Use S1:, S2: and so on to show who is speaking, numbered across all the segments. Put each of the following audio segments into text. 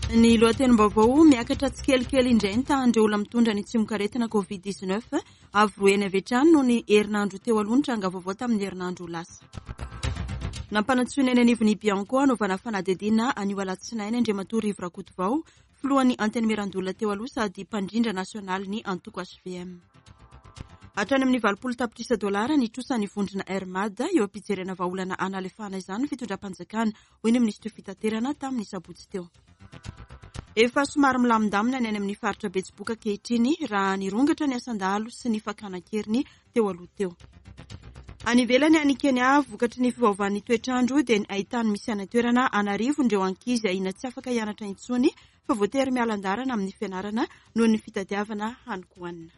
S1: Ny lohatenim-baovao, miakatra tsikelikely indray ny tahan'ireo olona mitondra ny tsimokaretina Covid 19, avo roa heny avy hatrany noho ny herinandro teo aloha ny tranga vaovao tamin'ny herinandro lasa. Nampanantsoina eny anivon'ny Bianco hanaovana fanadihadiana anio alatsinainy Andriamatoa Rivo Rakotovao, filohan'ny Antenimierandoholona teo aloha sady mpandrindra nasionalin'ny antoko hvm. Hatrany amin'ny 80 tapitrisa dolara ny trosan'ny vondrona Air Mad, eo am-pijerena vahaolana hanalefahana izany ny fitondram-panjakana, hoy ny minisitry fitaterana tamin'ny sabotsy teo. Efa somary milamindamina ny any amin'ny faritra Betsiboka ankehitriny raha nirongatra ny asan-dahalo sy ny fakana an-keriny teo aloha teo. Any ivelany any Kenya, vokatry ny fiovaovan'ny toetr'andro dia ny haitany misy any an-toerana an'arivony ireo ankizy ahiana tsy afaka hianatra intsony fa voatery miala an-dalana amin'ny fianarana noho ny fitadiavana hanin-kohanina.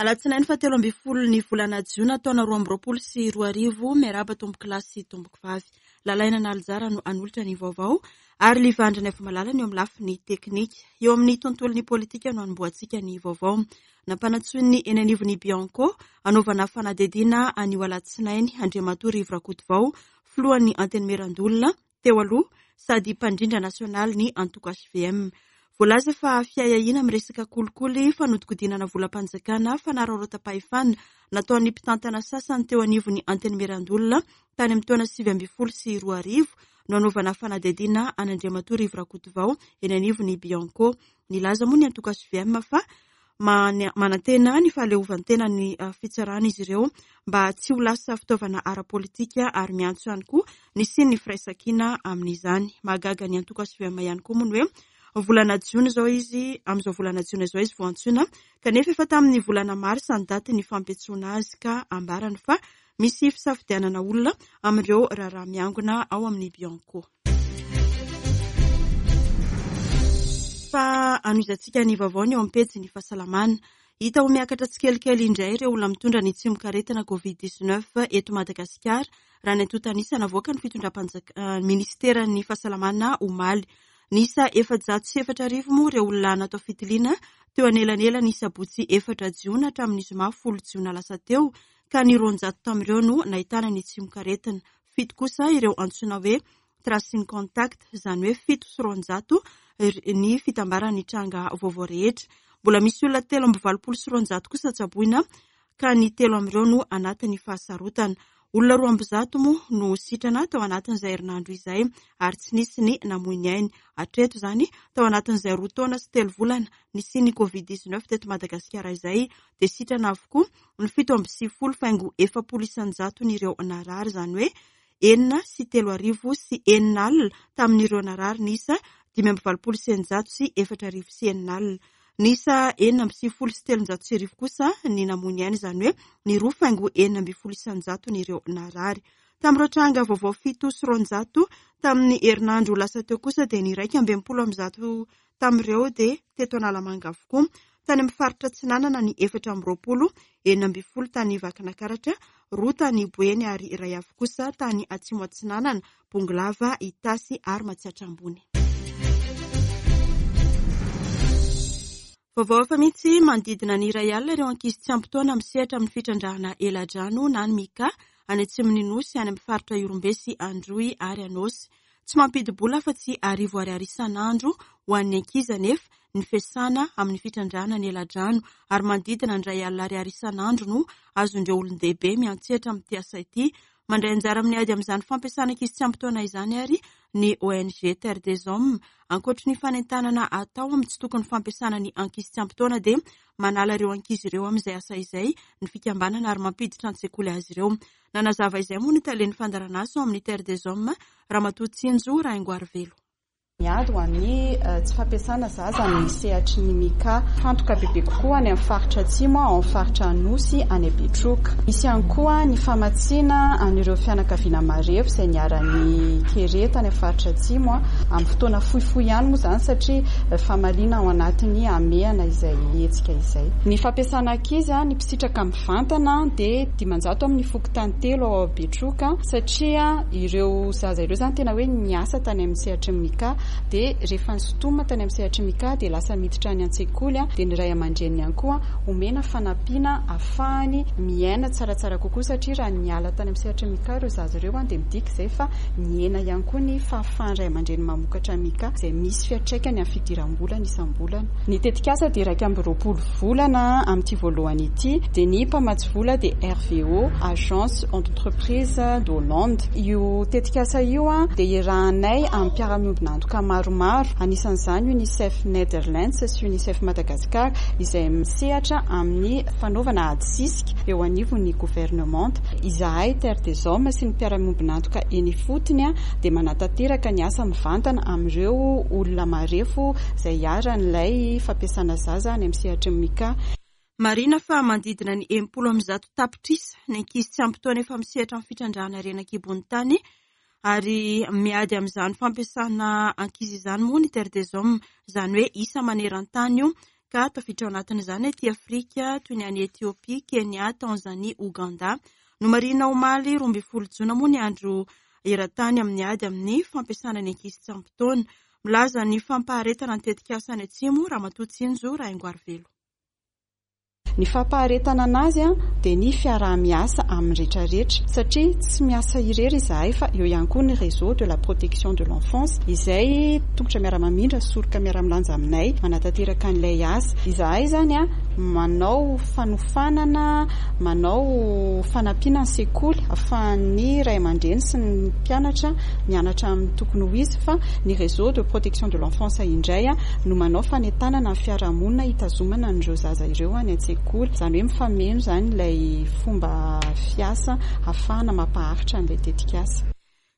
S1: Alatsinainy fahatelo ambin'ny folo ny volana jiona taona 2022, miarahaba tompokolahy sy tompokovavy. Lalaina Nalijara no hanolotra ny vaovao ary Livandra Naivomalala ny eo amin'ny lafiny teknika. Eo amin'ny tontolon'ny politika no hanombohantsika ny vaovao. Nampanantsoin'ny eny anivon'ny Bianco hanaovana fanadihadiana anio alatsinainy Andriamatoa Rivo Rakotovao, filohan'ny Antenimierandoholona teo aloha sady mpandrindra nasionalin'ny antoko hvm. Voalaza fa fiahiahiana amin'ny resaka kolikoly, fanodikodinana volam-panjakana, fanararaotam-pahefana nataon'ny mpitantana sasany teo anivon'ny Antenimierandoholona tany amin'ny taona 2019 no hanaovana fanadihadiana an'Andriamatoa Rivo Rakotovao eny anivon'ny Bianco. Nilaza moa ny antoko hvm fa manantena ny fahaleovantenan'ny fitsarana izy ireo mba tsy ho lasa fitaovana ara-politika ary miantso ihany koa ny hisian'ny firaisankina amin'izany. Mahagaga ny antoko hvm ihany koa moa ny hoe volana jiona izao izy, amin'izao volana jiona izao izy vao antsoina kanefa efa tamin'ny volana marsa ny daty ny fampiantsoana azy ka ambarany fa misy fisafidianana olona amin'ireo raharaha miangona ao amin'ny Bianco. Fa hanohizantsika ny vaovao ny eo amin'ny pejin'ny fahasalamana. Hita ho miakatra tsikelikely indray ireo olona mitondra ny tsimokaretina Covid 19 eto Madagasikara, raha ny antontan'isa navoakan'ny fitondram-panjakana, ministeran'ny fahasalamana omaly. Niisa 4004 moa ireo olona natao fitiliana teo anelanelan'ny sabotsy 4 jiona hatramin'ny zoma 10 jiona lasa teo, ka ny 200 tamin'ireo no nahitana ny tsimokaretina. Fito kosa ireo antsoina hoe tracing contact, izany hoe 207 ny fitambaran'ny tranga vaovao rehetra. Mbola misy olona 283 kosa tsaboina ka ny telo amin'ireo no anatin'ny fahasarotana. Olona 102 moa no sitrana tao anatin'izay herinandro izay ary tsy nisy ny namoy ny ainy. Hatreto izany, tao anatin'izay roa taona sy telo volana nisian'ny Covid 19 teto Madagasikara izay dia sitrana avokoa ny 97.40 isan-jaton'ireo narary, izany hoe 3606 tamin'ireo narary niisa 685,600. Niisa 1396 kosa ny namoy ny ainy, izany hoe ny 2.16 isan-jaton'ireo narary. Tamin'ireo tranga vaovao 207 tamin'ny herinandro lasa teo kosa dia ny 161 tamin'ireo dia teto Analamanga avokoa. Tany amin'ny faritra Atsinanana ny 24, 16 tany Vakinakaratra, roa tany Boeny ary iray avy kosa tany Atsimo Atsinanana, Bongolava, Itasy ary Matsiatra Ambony. Vaovao hafa mihitsy, manodidina ny iray alina ireo ankizy tsy ampy taona misehatra amin'ny fitrandrahana eladrano na ny Mica any atsimon'ny Nosy, any amin'ny faritra Ihorombe sy Androy ary Anôsy. Tsy mampidi-bola afa-tsy arivo ariary isan'andro ho an'ny ankizy anefa ny fiasana amin'ny fitrandrahana ny eladrano ary manodidina ny 1000 ariary isan'andro no azon'ireo olon-dehibe miantsehatra amin'ity asa ity. Mandray anjara amin'ny ady amin'izany fampiasana ankizy tsy ampy taona izany ary ny ONG Terre des Hommes. Ankoatry ny fanentanana atao amin'ny tsy tokony fampiasana ny ankizy tsy ampy taona dia manala ireo ankizy ireo amin'izay asa izay ny fikambanana ary mampiditra an-tsekoly azy ireo. Nanazava izay moa ny talen'ny fandaharanasa ao amin'ny Terre des Hommes, Ramatoa Tsinjo Rahaingoarivelo.
S2: Miady ho an'ny tsy fampiasana zaza amin'ny sehatry ny Mica. Mifantoka bebe kokoa any amin'ny faritra Atsimo, ao amin'ny faritra Anosy, any Betroka. Misy ihany koa ny famatsiana an'ireo fianakaviana marefo izay niharan'ny kere tany amin'ny faritra Atsimo, amin'ny fotoana fohifohy ihany moa izany satria famaliana ao anatin'ny hamehana izay hetsika izay. Ny fampiasana ankizy, ny mpisitraka mivantana dia 500 amin'ny fokontany telo ao Betroka satria ireo zaza ireo izany tena hoe niasa tany amin'ny sehatry ny Mica. dia rehefa nisintomina tany amin'ny sehatry ny Micas dia lasa miditra any an-tsekoly dia ny ray aman-dreniny ihany koa omena fanampiana ahafahany miaina tsaratsara kokoa satria raha niala tany amin'ny sehatry ny Micas ireo zaza ireo dia midika izay fa nihena ihany koa ny fahafahan'ny ray aman-dreny mamokatra Micas izay misy fiantraikany amin'ny fidiram-bolany isam-bolana. Ny tetikasa dia 21 volana amin'ity voalohany ity dia ny mpamatsy vola dia RVO, Agence Entreprise d'Hollande. Io tetikasa io dia iarahanay amin'ny mpiara-miombon'antoka maromaro, anisan'izany Unicef Netherlands sy Unicef Madagascar izay misehatra amin'ny fanaovana ady sisika eo anivon'ny governemanta. Izahay Terre des Hommes sy ny mpiara-miombon'antoka eny ifotony dia manatanteraka ny asa mivantana amin'ireo olona marefo izay iharan'ilay fampiasana zaza any amin'ny sehatry ny Micas.
S1: Marihina fa manodidina ny 160 tapitrisa ny ankizy tsy ampy taona efa misehatra amin'ny fitrandrahana harena an-kibon'ny tany ary miady amin'izany fampiasana ankizy izany moa ny Terre des Hommes, izany hoe isa maneran-tany io ka tafiditra ao anatin'izany aty Afrika toy ny any Etiopia, Kenya, Tanzania, Ouganda. Nomarihina omaly 12 jona moa ny andro eran-tany amin'ny ady amin'ny fampiasana ny ankizy tsy ampy taona. Milaza ny fampaharetana ny tetikasa any Atsimo Ramatoa Tsinjo Rahaingoarivelo.
S2: Ny fampaharetana anazy dia ny fiaraha-miasa amin'ny rehetrarehetra satria tsy miasa irery izahay fa eo ihany koa ny réseau de la protection de l'enfance izay tongotra miara-mamindra, soroka miara-milanja aminay manatanteraka an'ilay asa. Izahay izany manao fanofanana, manao fanampiana ny sekoly ahafahan'ny ray aman-dreny sy ny mpianatra mianatra amin'ny tokony ho izy fa ny réseau de protection de l'enfance indray no manao fanentanana ny fiarahamonina hitazomana an'ireo zaza ireo any an-tsekoly. Izany hoe mifameno izany ilay fomba fiasa ahafahana mampaharitra an'ilay tetikasa.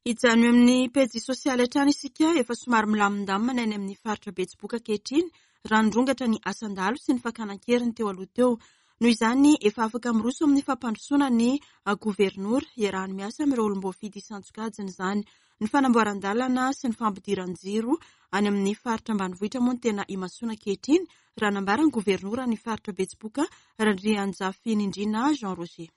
S1: Hijanona eo amin'ny pejy sosialy hatrany isika, efa somary milamindamina any amin'ny faritra Betsiboka ankehitriny raha nirongatra ny asan-dahalo sy ny fakana an-keriny teo aloha teo. Noho izany, efa afaka miroso amin'ny fampandrosoana ny governora, iarahany miasa amin'ireo olom-boafidy isan-tsokajiny izany. Ny fanamboaran-dalana sy ny fampidiran-jiro any amin'ny faritra ambanivohitra moa no tena imasoana ankehitriny, raha nambaran'ny governoran'ny faritra Betsiboka, Randrianjafinindrina Jean Roger.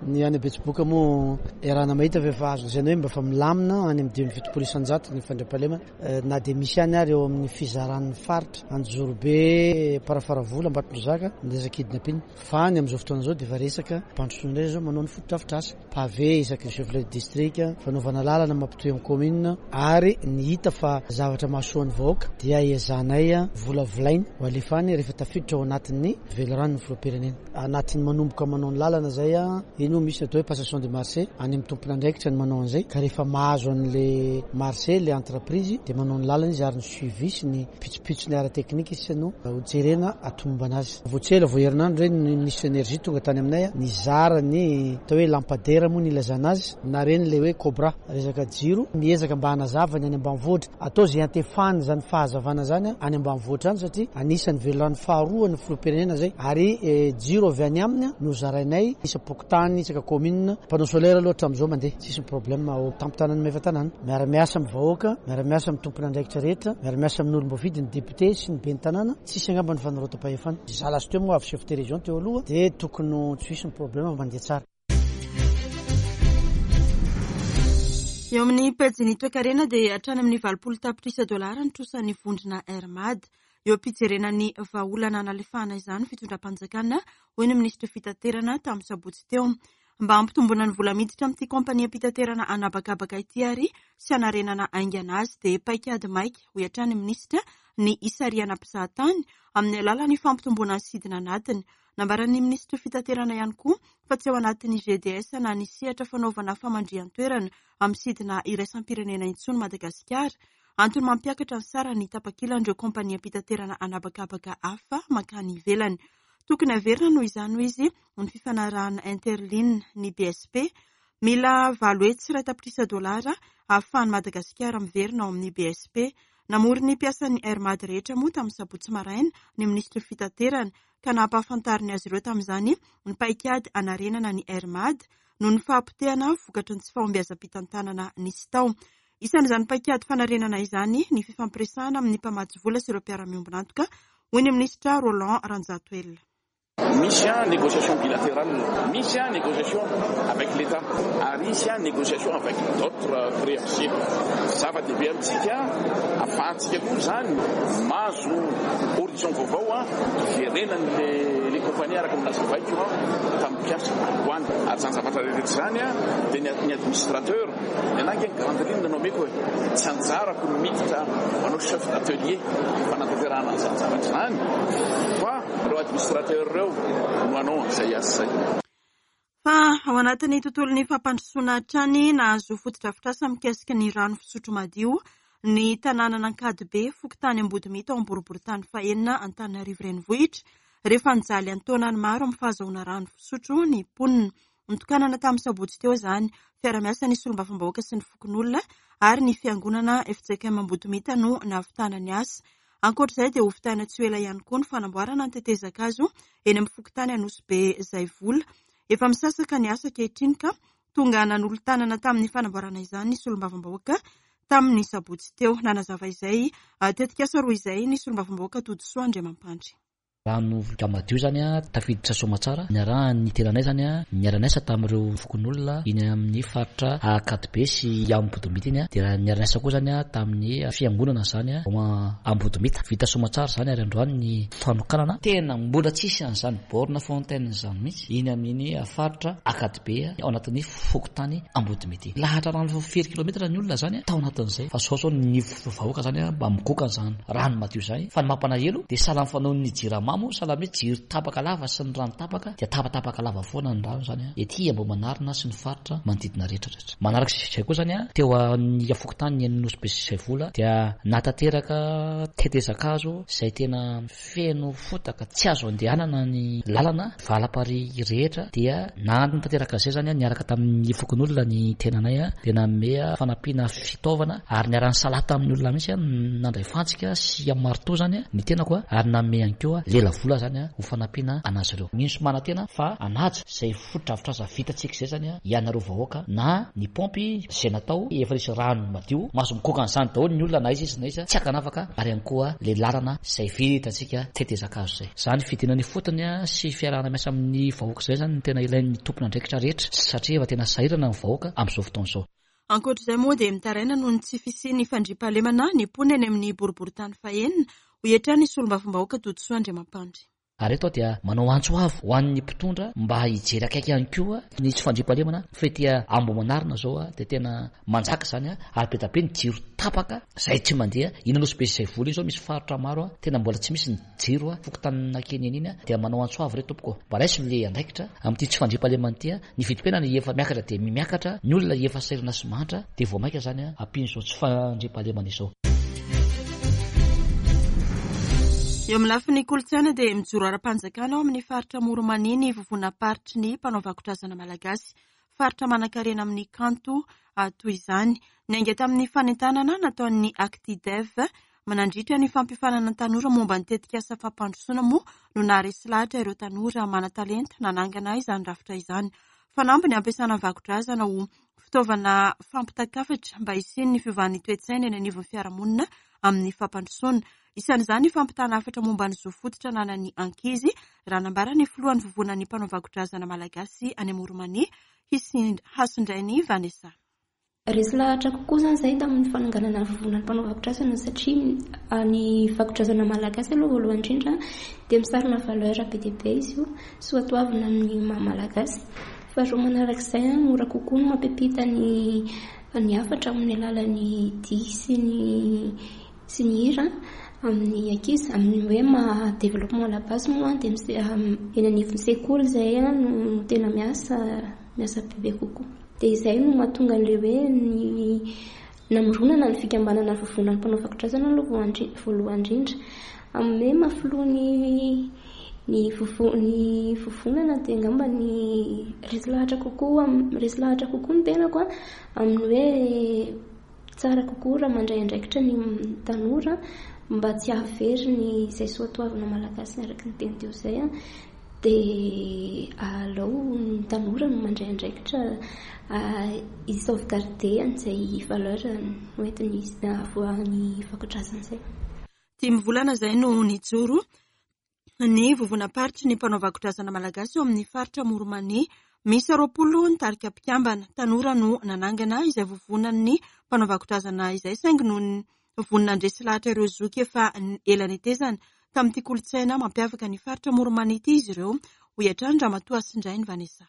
S3: Ny any Betsiboka moa iarahana mahita fa efa azo lazaina hoe mba efa milamina any amin'ny 75% ny fandriampahalemana na dia misy ihany ary eo amin'ny fizaran'ny faritra Anjozorobe, Amparafaravola, Ambatondrazaka ny resaka kidnapping. Fa ny amin'izao fotoana izao dia efa resaka fampandrosoana indray izao manao ny fotodrafitrasa, pavé isaky ny chef lieu de district, fanaovana lalana mampitohy amin'ny commune ary ny hita fa zavatra mahasoa ny vahoaka dia ezahanay volavolaina ho alefa any rehefa tafiditra ao anatin'ny veliranon'ny filoham-pirenena. Anatin'ny manomboka manao ny lalana izay, iny moa misy ny atao hoe passation de marché, any amin'ny tompon'andraikitra ny manao an'izay ka rehefa mahazo an'ilay marché ilay entreprise dia manao ny lalana izy ary ny suivi sy ny pitsopitsony ara-teknika sisa no hojerena hatomombana azy. Vao tsy ela, vao herinandro ireny ny Minisitry ny Energie tonga tany aminay nizara ny atao hoe lampadaire moa ny ilazana azy na ireny ilay hoe cobra, resaka jiro, miezaka mba hanazava ny any ambanivohitra. Atao izay hiantefany izany fahazavana izany any ambanivohitra any satria anisan'ny velirano faharoa ny filoham-pirenena izay ary jiro avy any aminy no zarainay isam-pokontany, isaka commune. Panneau solaire aloha hatramin'izao mandeha, tsisy ny problème ao tampon-tanan'i Maevatanàna. Miara-miasa amin'ny vahoaka, miara-miasa amin'ny tompon'andraikitra rehetra, miara-miasa amin'ny olom-boafidy, ny député sy ny ben'ny tanàna. Tsisy angamba ny fanararaotam-pahefana. Za lasa teo moa avy chef de région teo aloha dia tokony tsy hisy ny problème fa mandeha tsara.
S1: Eo amin'ny pejin'ny toekarena dia hatrany amin'ny 80 tapitrisa dolara ny trosan'ny vondrona Air Mad. Eo am-pijerena ny vahaolana hanalefahana izany ny fitondram-panjakana, hoy ny minisitry fitaterana tamin'ny sabotsy teo. Mba hampitomboana ny vola miditra amin'ity kaompaniam-pitaterana an'habakabaka ity ary sy hanarenana haingana azy dia paikady maika, hoy hatrany ny minisitra, ny hisarihana mpizahatany amin'ny alalan'ny fampitomboana ny sidina anatiny. Nambaran'ny minisitry fitaterana ihany koa fa tsy ao anatin'ny GDS na ny sehatra fanaovana famandrihan-toerana amin'ny sidina iraisam-pirenena intsony Madagasikara. Antony mampiakatra ny saran'ny tapakilan'ireo kaompaniam-pitaterana an'habakabaka hafa mankany ivelany. Tokony haverina noho izany, hoy izy, ny fifanarahana Interline, ny BSP. Mila 800 tapitrisa dolara ahafahan'i Madagasikara miverina ao amin'ny BSP. Namory ny mpiasan'ny Air Mad rehetra moa tamin'ny sabotsy maraina ny minisitry ny fitaterana ka nampahafantariny azy ireo tamin'izany ny paikady hanarenana ny Air Mad noho ny fahapotehana vokatry ny tsy fahombiazam-pitantanana nisy tao. Isan'izany paikady fanarenana izany ny fifampiresahana amin'ny mpamatsy vola sy ireo mpiara-miombon'antoka, hoy ny minisitra Roland Ranjatoelina.
S4: Misy négociation bilatérale, misy négociation avec l'Etat ary hisy négociation avec d'autres créanciers. Zava-dehibe amintsika ahafahantsika koa izany mahazo horizon vaovao hiverenan'ilay ilay compagnie araka ny nazavaiko tamin'ny mpiasa androany. Ary izany zavatra rehetra izany dia ny administrateur, ny anah ange ny grande ligne no omeko e, tsy anjarako ny miditra manao chef d'atelier fanatanterahana an'izany zavatra izany fa ireo administrateur ireo no hanao an'izay asa izay.
S1: Fa ao anatin'ny tontolon'ny fampandrosoana hatrany, nahazo fotodrafitrasa mikasika ny rano fisotro madio ny tanànan'Ankadibe, fokontany Ambodimita ao Amboroborotany fahenina Antananarivo Renivohitra, rehefa nijaly an-taonany maro amin'ny fahazahoana rano fisotro ny mponina. Notokanana tamin'ny sabotsy teo izany. Fiara-miasa ny solombavambahoaka sy ny fokonolona ary ny fiangonana fjkm Ambodimita no nahavitana ny asa. Ankoatra izay dia hovitaina tsy ho ela ihany koa ny fanamboarana ny tetezan-kazo eny amin'ny fokontany Anosibe Zaivola. Efa misasaka ny asa ankehitriny ka tonga nanolo-tanana tamin'ny fanamboarana izany ny solombavambahoaka tamin'ny sabotsy teo. Nanazava izay tetikasa roa izay ny solombavambahoaka Todisoa Andriamampandry.
S5: Rano voka madio izany tafiditra soamatsara niarahan'ny tenanay izany niara-niasa tamin'ireo fokonolona iny amin'ny faritra Ankadibe sy Ambodomita iny dia niara-niasa koa izany tamin'ny fiangonana izany ao Ambodomita. Vita soamatsara izany ary androany ny fanokanana. Tena mbola tsisy an'izany borne fontaine izany mihitsy iny amin'iny faritra Ankadibe ao anatin'ny fokontany Ambodimita iny. Lahatra rano firy kilometatra ny olona izany tao anatin'izay fa sao sao ny vahoaka izany mba migoka an'izany rano madio izany fa ny mampalahelo dia sahala amin'ny fanaon'ny jirama moa sahala amin'ny hoe jiro tapaka lava sy ny rano tapaka dia tapatapaka lava foana ny rano izany ety Ambohimanarina sy ny faritra manodidina rehetra rehetra. Manaraka izay koa izany teo amin'ny fokontany Nosy Be sy Zaivola dia nahatanteraka tetezan-kazo izay tena Feno fotaka tsy azo andehanana ny lalana valaparihy rehetra dia nanatanteraka izay izany niaraka tamin'ny fokonolona ny tenanay dia nanome fanampiana fitaovana ary niara-nisalahy tamin'ny olona mihitsy nandray fantsika sy marteau izany ny tenako ary nanome ihany koa lelavola izany ho fanampiana an'azy ireo. Mino sy manantena fa hanaja izay fotodrafitrasa vitantsika izay izany ianareo vahoaka na ny paompy izay natao efa nisy rano madio mahazo mikoka an'izany daholo ny olona na aiza izy na aiza tsy ankanavaka ary ihany koa le lalana izay vitantsika tetezan-kazo izay. Izany fidinana ifotony sy fiarahana miasa amin'ny vahoaka izay izany no tena ilain'ny tompon'andraikitra rehetra satria efa tena sahirana ny vahoaka amin'izao fotoana izao.
S1: Ankoatra izay moa dia mitaraina noho ny tsy fisian'ny fandriampahalemana ny mponina eny amin'ny boriborintany fahenina, hoy hatrany ny solombavambahoaka Todisoa Andriamampandry.
S5: Ary eto aho dia manao antso avo ho an'ny mpitondra mba hijery akaiky ihany koa ny tsy fandriampahalemana fa ety Ambohimanarina izao dia tena manjaka izany ary be dia be ny jiro tapaka izay tsy mandeha. Iny Anosibe sy Zaivola iny izao misy faritra maro tena mbola tsy misy ny jiro, fokontanin'Ankeny iny dia manao antso avo re tompoko mba raiso ilay andraikitra amin'ity tsy fandriampahalemana ity. Ny vidim-piainana efa miakatra dia miakatra, ny olona efa sahirana sy mahantra dia vao mainka izany ampian'izao tsy fandriampahalemana izao.
S1: Eo amin'ny lafiny kolontsaina dia mijoro ara-panjakana ao amin'ny faritra Amoron'i-Mania ny vovonam-paritry ny mpanao vakodrazana malagasy. Faritra manankarena amin'ny kanto toy izany. Niainga tamin'ny fanentanana nataon'ny Actidev Nandritra ny fampiofanana ny tanora momba ny tetikasa fampandrosoana moa no naharesy lahatra ireo tanora manan-talenta nanangana izany rafitra izany. Fanamby ny hampiasana ny vakodrazana ho fitaovana fampitan-kafatra mba hisian'ny fiovan'ny toe-tsaina eny anivon'ny fiarahamonina amin'ny fampandrosoana. Isan'izany ny fampitana hafatra momba ny zo fototra ananan'ny ankizy, raha nambaran'ny filohan'ny vovonan'ny mpanao vakodrazana malagasy any Amoron'i Mania, Hasindrainy Vanessa.
S6: Resy lahatra kokoa izany izahay tamin'ny fananganana ny vovonan'ny mpanao vakodrazana satria ny vakodrazana malagasy aloha voalohany indrindra dia misarona valeur be dia be izy io, soatoavina amin'ny maha malagasy. Faharoa manarak'izay, mora kokoa ny mampiampita ny ny hafatra amin'ny alalan'ny dihy sy ny sy ny hira amin'ny ankizy. Amin'ny hoe maha développement à la base moa dia eny anivon'ny sekoly izahay no tena miasa miasa bebe kokoa. Dia izay no mahatonga an'ilay hoe ny namoronana ny fikambanana vovonan'ny mpanao vakodrazana aloha voalohany indrindra. Amin'ny hoe maha filoha ny ny vovo ny vovonana dia angamba ny resy lahatra kokoa resy lahatra kokoa ny tenako amin'ny hoe tsara kokoa raha mandray andraikitra ny tanora mba tsy hahavery ny izay soatoavina malagasy araka ny teny teo izay. Dia alao ny tanora no mandray andraikitra hi-sauvegarder an'izay valeur noentiny avoahan'ny vakodrazana izay.
S1: Dimy volana izay no nijoro. ny vovonam-paritry ny mpanao vakodrazana malagasy eo amin'ny faritra Amoron'i-Mania. Miisa 20 ny tarika mpikambana. Tanora no nanangana izay vovonan'ny mpanao vakodrazana izay saingy noho ny vonona handresy lahatra ireo zoky efa ela netezana tamin'ity kolontsaina mampiavaka ny faritra Amoron'i-Mania ity izy ireo, hoy hatrany Ramatoa Hasindrainy Vanessa.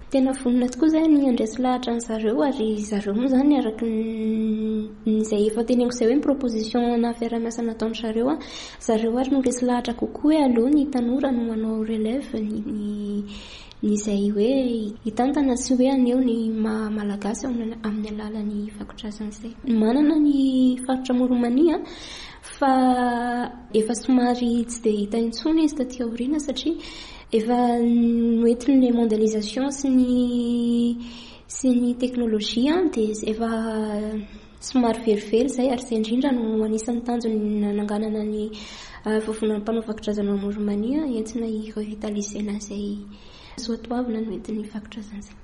S6: Tena vonona tokoa izahay ny handresy lahatra an-dry zareo ary zareo moa izany araka ny izay efa teneniko izay hoe ny proposition na fiaraha-miasa nataon-dry zareo an, zareo ary no resy lahatra kokoa hoe aleo ny tanora no hanao relève ny ny izay hoe hitantana sy hoe haneho ny maha malagasy amin'ny alalan'ny vakodrazana izay. Manana ny faritra Amoron'i Mania fa efa somary tsy dia hita intsony izy taty aoriana satria Efa noentin'ilay mondialisation sy ny sy ny teknolojia dia efa somary verivery izay ary izay indrindra no anisan'ny tanjony nananganana ny vovonan'ny mpanao vakodrazana ao Amoron'i-Mania entina hi-revitaliser-na izay soatoavina noentin'ny vakodrazana izay.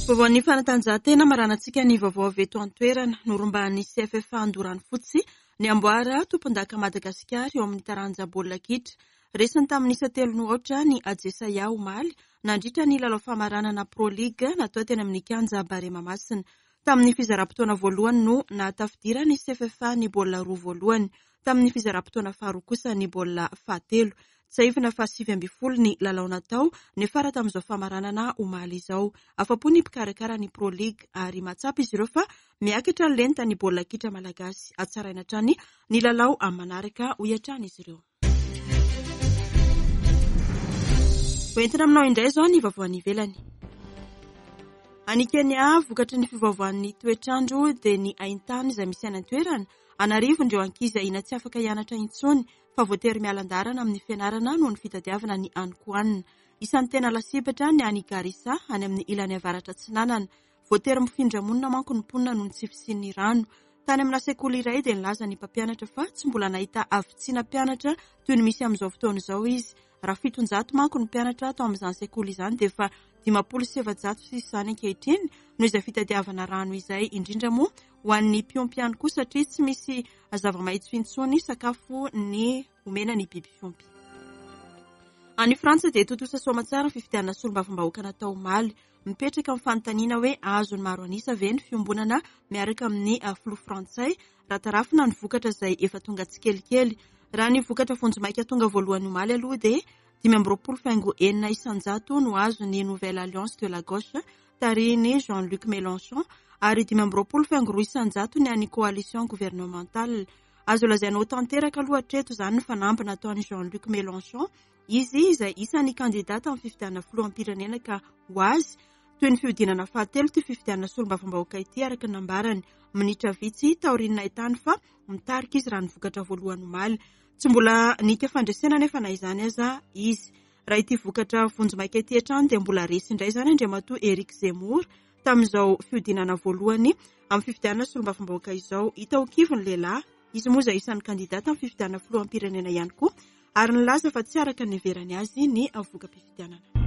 S1: Vaovaon'ny fanatanjahantena maranantsika ny vaovao avy eto an-toerana. Norombahan'ny CFFA Andoranofotsy ny amboara tompondaka Madagasikara eo amin'ny taranja baolina kitra. Resiny tamin'ny isa telo no aotra ny Ajesaia omaly nandritra ny lalao famaranana Pro League natao teny amin'ny kianja Barea Mahamasina. Tamin'ny fizaram-potoana voalohany no nahatafidiran'ny CFFA ny baolina roa voalohany. Tamin'ny fizaram-potoana faharoa kosa ny baolina fahatelo. Tsiahivina fa 19 ny lalao natao niafara tamin'izao famaranana omaly izao. Afa-po ny mpikarakara ny Pro League ary mahatsapa izy ireo fa miakatra ny lentan'ny baolina kitra malagasy. Hatsaraina hatrany ny lalao amin'ny manaraka, hoy hatrany izy ireo. Hoentina aminao indray izao ny vaovao any ivelany. Any Kenya, vokatry ny fiovaovan'ny toetr'andro dia ny haintany izay misy any an-toerana. An'arivony ireo ankizy ahiana tsy afaka hianatra intsony fa voatery miala an-dalana amin'ny fianarana noho ny fitadiavana ny hanin-kohanina. Isan'ny tena lasibatra ny any Garissa, any amin'ny ilany avaratra atsinanana. Voatery mifindra monina manko ny mponina noho ny tsy fisian'ny rano. Tany amina sekoly iray dia nilaza ny mpampianatra fa tsy mbola nahita havitsiana mpianatra toy ny misy amin'izao fotoana izao izy. Raha 700 manko ny mpianatra tao amin'izany sekoly izany dia efa 450 sisa izany ankehitriny noho izay fitadiavana rano izay, indrindra moa ho an'ny mpiompy ihany koa satria tsy misy zava-maitso intsony sakafo ny omena ny biby fiompy. Any Frantsa dia tontosa soamantsara ny fifidianana solombavambahoaka natao omaly. Mipetraka ny fanontaniana hoe azon'ny maro an'isa ve ny fiombonana miaraka amin'ny filoha frantsay raha tarafina ny vokatra izay efa tonga tsikelikely. Raha ny vokatra vonjimaika tonga voalohany omaly aloha dia 25,6% no azon'ny Nouvelle Alliance de la Gauche tarihin'i Jean-Luc Mélenchon ary 25,2% ny an'ny coalition gouvernementale. Azo lazaina ho tanteraka aloha hatreto izany ny fanamby nataon'i Jean-Luc Mélenchon, izy izay isan'ny kandida tamin'ny fifidianana filoham-pirenena ka ho azy toy ny fihodinana fahatelo ity fifidianana solombavambahoaka ity araka ny nambarany minitra vitsy taorian'ny nahitany fa mitarika izy raha ny vokatra voalohany omaly. Tsy mbola nika fandresena anefa na izany aza izy. Raha ity vokatra vonjimaika ity hatrany dia mbola resy indray izany Andriamatoa Eric Zemmour tamin'izao fihodinana voalohany amin'ny fifidianana solombavambahoaka izao. Hita ho kivy ny lehilahy, izy moa izay isan'ny kandida tamin'ny fifidianana filoham-pirenena ihany koa ary nilaza fa tsy araka ny niheverany azy ny voka-pifidianana.